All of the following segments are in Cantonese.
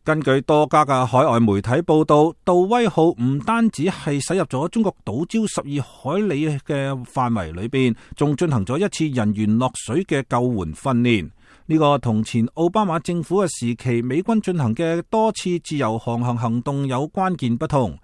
根據多家嘅海外媒體報道，杜威號唔單止係駛入咗中國島礁12海里嘅範圍裏邊，仲進行咗一次人員落水嘅救援訓練。呢個同前奧巴馬政府嘅時期美軍進行嘅多次自由航行行動有關鍵不同。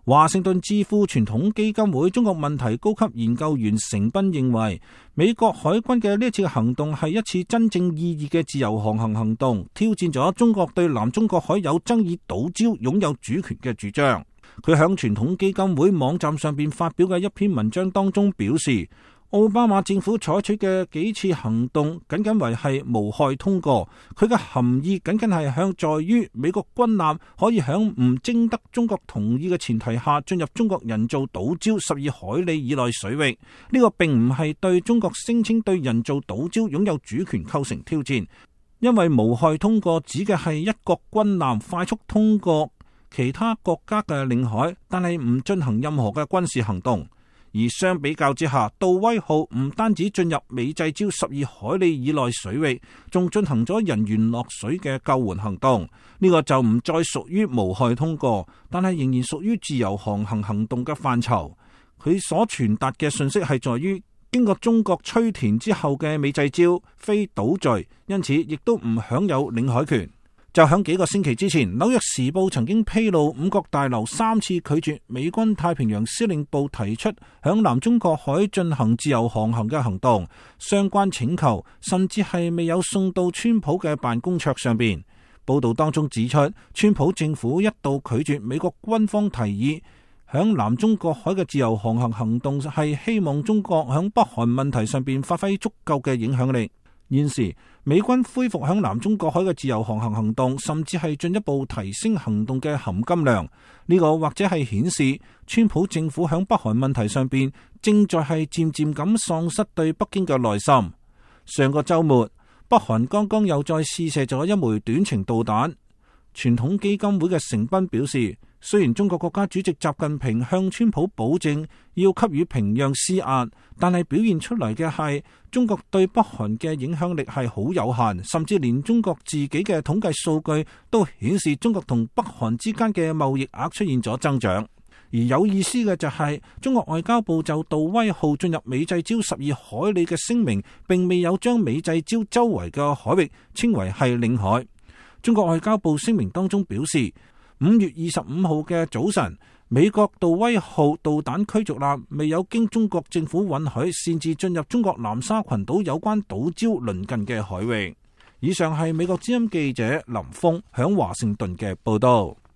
華盛頓智庫傳統基金會中國問題高級研究員成斌認為，美國海軍嘅呢一次行動係一次真正意義嘅自由航行行動，挑戰咗中國對南中國海有爭議島礁擁有主權嘅主張。佢響傳統基金會網站上邊發表嘅一篇文章當中表示，奧巴馬政府採取嘅幾次行動僅僅為係無害通過，佢嘅含義僅僅係向在於美國軍艦可以響唔徵得中國同意嘅前提下進入中國人造島礁12海里以內水域。呢個並唔係對中國聲稱對人造島礁擁有主權構成挑戰，因為無害通過指嘅係一國軍艦快速通過其他國家嘅領海，但係唔進行任何嘅軍事行動。而相比較之下，杜威號唔單止進入美濟礁12海里以內水域，仲進行咗人員落水嘅救援行動。呢個就唔再屬於無害通過，但係仍然屬於自由航行行動嘅範疇。佢所傳達嘅信息係在於，經過中國吹填之後嘅美濟礁非島嶼，因此亦都唔享有領海權。就響幾個星期之前，紐約時報曾經披露五角大樓3次拒絕美軍太平洋司令部提出響南中國海進行自由航行嘅行動，相關請求甚至係未有送到川普嘅辦公桌上邊。報道當中指出，川普政府一度拒絕美國軍方提議響南中國海嘅自由航行行動，係希望中國響北韓問題上邊發揮足夠嘅影響力。現時美軍恢復響南中國海嘅自由航行行動，甚至係進一步提升行動嘅含金量。呢個或者係顯示川普政府響北韓問題上邊正在係漸漸咁喪失對北京嘅耐心。上個周末，北韓剛剛又再試射咗一枚短程導彈。傳統基金會嘅成斌表示，雖然中國國家主席習近平向川普保證要給予平壤施壓，但係表現出嚟嘅係中國對北韓嘅影響力係好有限，甚至連中國自己嘅統計數據都顯示中國同北韓之間嘅貿易額出現咗增長。而有意思嘅就係，中國外交部就杜威號進入美濟礁12海里嘅聲明，並未有將美濟礁周圍嘅海域稱為係領海。中國外交部聲明當中表示，5月25號嘅早晨，美國杜威號導彈驅逐艦未有經中國政府允許擅自進入中國南沙群島有關島礁鄰近嘅海域。以上係美國之音記者林峰響華盛頓嘅報道。